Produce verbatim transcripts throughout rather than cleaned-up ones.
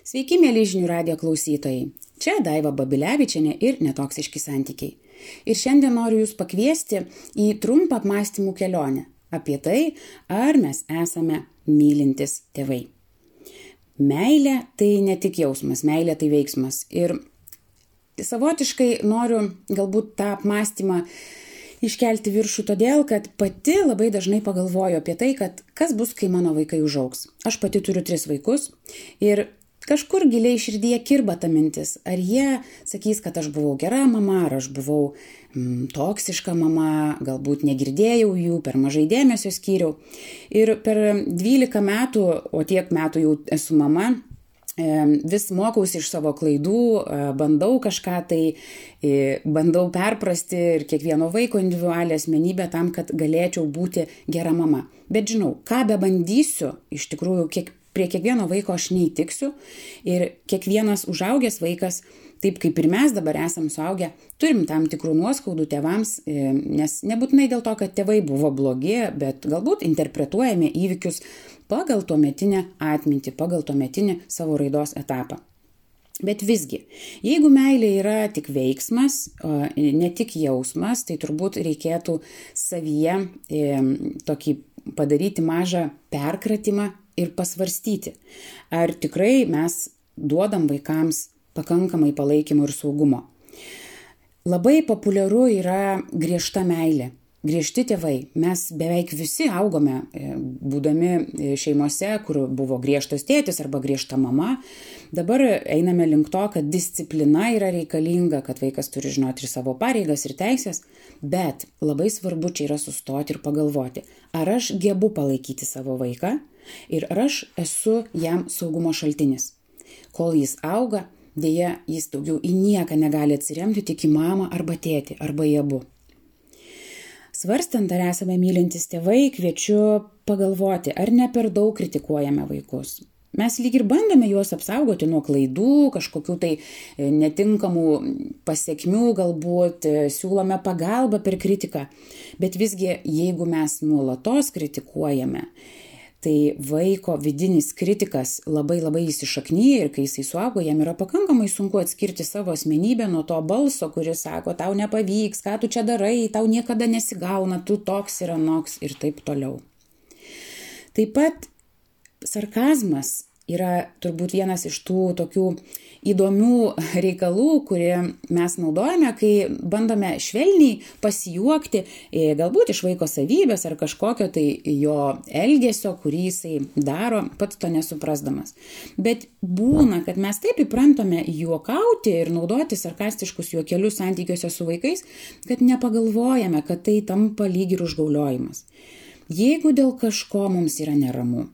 Sveiki, mėly žinių radijo klausytojai. Čia Daiva Babilevičienė ir Netoksiški santykiai. Ir šiandien noriu Jūs pakviesti į trumpą apmąstymų kelionę apie tai, ar mes esame mylintis tėvai. Meilė tai ne tik jausmas, meilė tai veiksmas. Ir savotiškai noriu galbūt tą apmąstymą iškelti viršų todėl, kad pati labai dažnai pagalvoju apie tai, kad kas bus, kai mano vaikai užaugs. Aš pati turiu tris vaikus ir kažkur giliai širdyje kirba ta mintis, ar jie sakys, kad aš buvau gera mama, ar aš buvau mm, toksiška mama, galbūt negirdėjau jų, per mažai dėmesio skyriau. Ir per dvylika metų, o tiek metų jau esu mama, vis mokausi iš savo klaidų, bandau kažką tai, bandau perprasti ir kiekvieno vaiko individualią asmenybę tam, kad galėčiau būti gera mama. Bet žinau, ką be bandysiu, iš tikrųjų, kiek, prie kiekvieno vaiko aš neįtiksiu ir kiekvienas užaugęs vaikas, taip kaip ir mes dabar esam suaugę, turim tam tikrų nuoskaudų tėvams, nes nebūtinai dėl to, kad tėvai buvo blogi, bet galbūt interpretuojame įvykius pagal tuometinę atmintį, pagal tuometinį savo raidos etapą. Bet visgi, jeigu meilė yra tik veiksmas, ne tik jausmas, tai turbūt reikėtų savyje tokį padaryti mažą perkratimą ir pasvarstyti, ar tikrai mes duodam vaikams pakankamai palaikymo ir saugumo. Labai populiaru yra griežta meilė. Griežti tėvai. Mes beveik visi augome, būdami šeimose, kur buvo griežtas tėtis arba griežta mama. Dabar einame link to, kad disciplina yra reikalinga, kad vaikas turi žinoti ir savo pareigas ir teisės, bet labai svarbu čia yra sustoti ir pagalvoti, ar aš gebu palaikyti savo vaiką ir ar aš esu jam saugumo šaltinis. Kol jis auga, dėja jis daugiau į nieką negali atsiremti, tik į mamą arba tėtį, arba į abu. Svarstant, ar esame mylintis tėvai, kviečiu pagalvoti, ar ne per daug kritikuojame vaikus. Mes lyg ir bandome juos apsaugoti nuo klaidų, kažkokių tai netinkamų pasekmių, galbūt siūlome pagalbą per kritiką. Bet visgi, jeigu mes nuolatos kritikuojame, tai vaiko vidinis kritikas labai labai įsišaknyja ir kai jisai suaugo, jam yra pakankamai sunku atskirti savo asmenybę nuo to balso, kuris sako, tau nepavyks, ką tu čia darai, tau niekada nesigauna, tu toks ir anoks ir taip toliau. Taip pat sarkazmas yra turbūt vienas iš tų tokių įdomių reikalų, kurie mes naudojame, kai bandome švelniai pasijuokti, galbūt iš vaiko savybės ar kažkokio tai jo elgesio, kurį jisai daro, pats to nesuprasdamas. Bet būna, kad mes taip įprantame juokauti ir naudoti sarkastiškus juokelius santykiuose su vaikais, kad nepagalvojame, kad tai tampa lyg ir užgauliojimas. Jeigu dėl kažko mums yra neramu,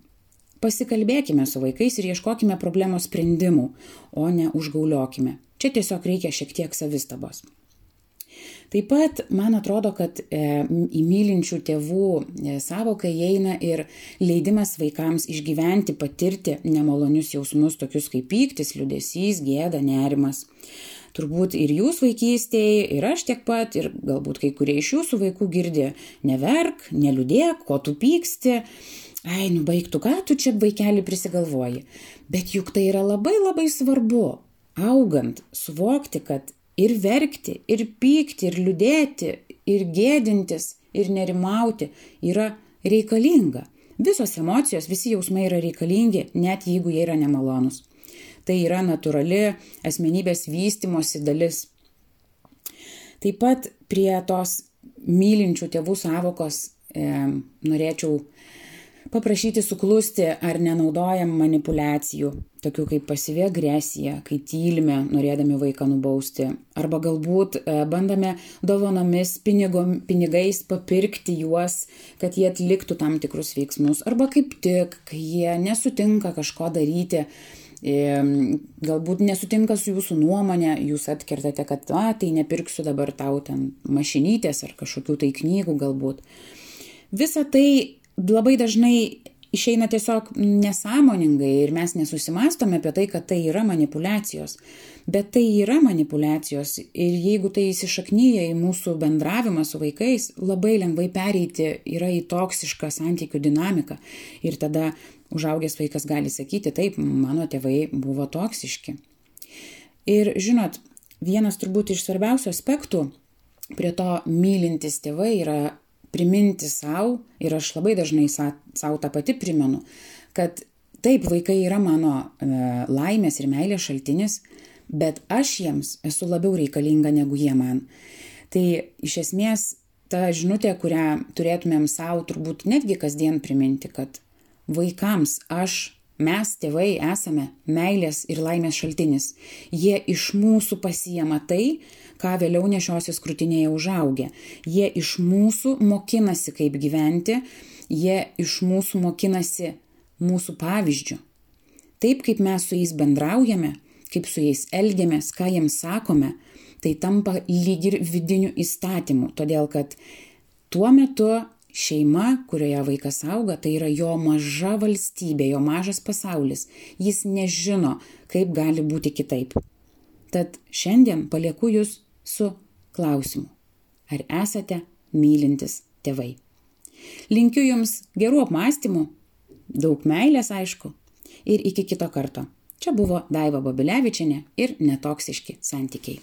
pasikalbėkime su vaikais ir ieškokime problemos sprendimų, o ne užgauliokime. Čia tiesiog reikia šiek tiek savistabos. Taip pat, man atrodo, kad e, į mylinčių tėvų e, savoką įeina ir leidimas vaikams išgyventi, patirti nemalonius jausmus, tokius kaip pyktis, liūdesys, gėda, nerimas. Turbūt ir jūs vaikystėje, ir aš tiek pat, ir galbūt kai kurie iš jūsų vaikų girdi, neverk, neliūdėk, ko tu pyksti. Ai, nu baigtų, ką tu čia vaikelį prisigalvoji. Bet juk tai yra labai labai svarbu, augant, suvokti, kad ir verkti, ir pykti, ir liūdėti, ir gėdintis, ir nerimauti yra reikalinga. Visos emocijos, visi jausmai yra reikalingi, net jeigu jie yra nemalonus. Tai yra natūrali asmenybės vystymosi dalis. Taip pat prie tos mylinčių tėvų savokos e, norėčiau paprašyti suklusti, ar nenaudojam manipulacijų, tokių kaip pasyvi agresija, kai tylime, norėdami vaiką nubausti, arba galbūt bandome dovanomis pinigom, pinigais papirkti juos, kad jie atliktų tam tikrus veiksmus, arba kaip tik, kai jie nesutinka kažko daryti, galbūt nesutinka su jūsų nuomonė, jūs atkertate, kad a, tai nepirksiu dabar tau ten mašinytės ar kažkokių tai knygų galbūt. Visa tai labai dažnai išeina tiesiog nesąmoningai ir mes nesusimastome apie tai, kad tai yra manipulacijos. Bet tai yra manipulacijos ir jeigu tai įsišaknyja į mūsų bendravimą su vaikais, labai lengvai pereiti yra į toksišką santykių dinamiką ir tada užaugęs vaikas gali sakyti, taip, mano tėvai buvo toksiški. Ir žinot, vienas turbūt iš svarbiausių aspektų prie to mylintis tėvai yra priminti savo, ir aš labai dažnai savo tą pati primenu, kad taip, vaikai yra mano e, laimės ir meilės šaltinis, bet aš jiems esu labiau reikalinga negu jie man. Tai iš esmės ta žinutė, kurią turėtumėm savo turbūt netgi kasdien priminti, kad vaikams aš, mes tėvai esame meilės ir laimės šaltinis. Jie iš mūsų pasiema tai, ką vėliau nešiosis krūtinėje užaugę. Jie iš mūsų mokinasi, kaip gyventi, jie iš mūsų mokinasi mūsų pavyzdžių. Taip, kaip mes su jais bendraujame, kaip su jais elgiamės, ką jiems sakome, tai tampa lyg ir vidiniu įstatymu, todėl kad tuo metu šeima, kurioje vaikas auga, tai yra jo maža valstybė, jo mažas pasaulis. Jis nežino, kaip gali būti kitaip. Tad šiandien palieku jūs su klausimu. Ar esate mylintis tėvai? Linkiu jums gerų apmąstymų, daug meilės aišku, ir iki kito karto. Čia buvo Daiva Babilevičienė ir netoksiški santykiai.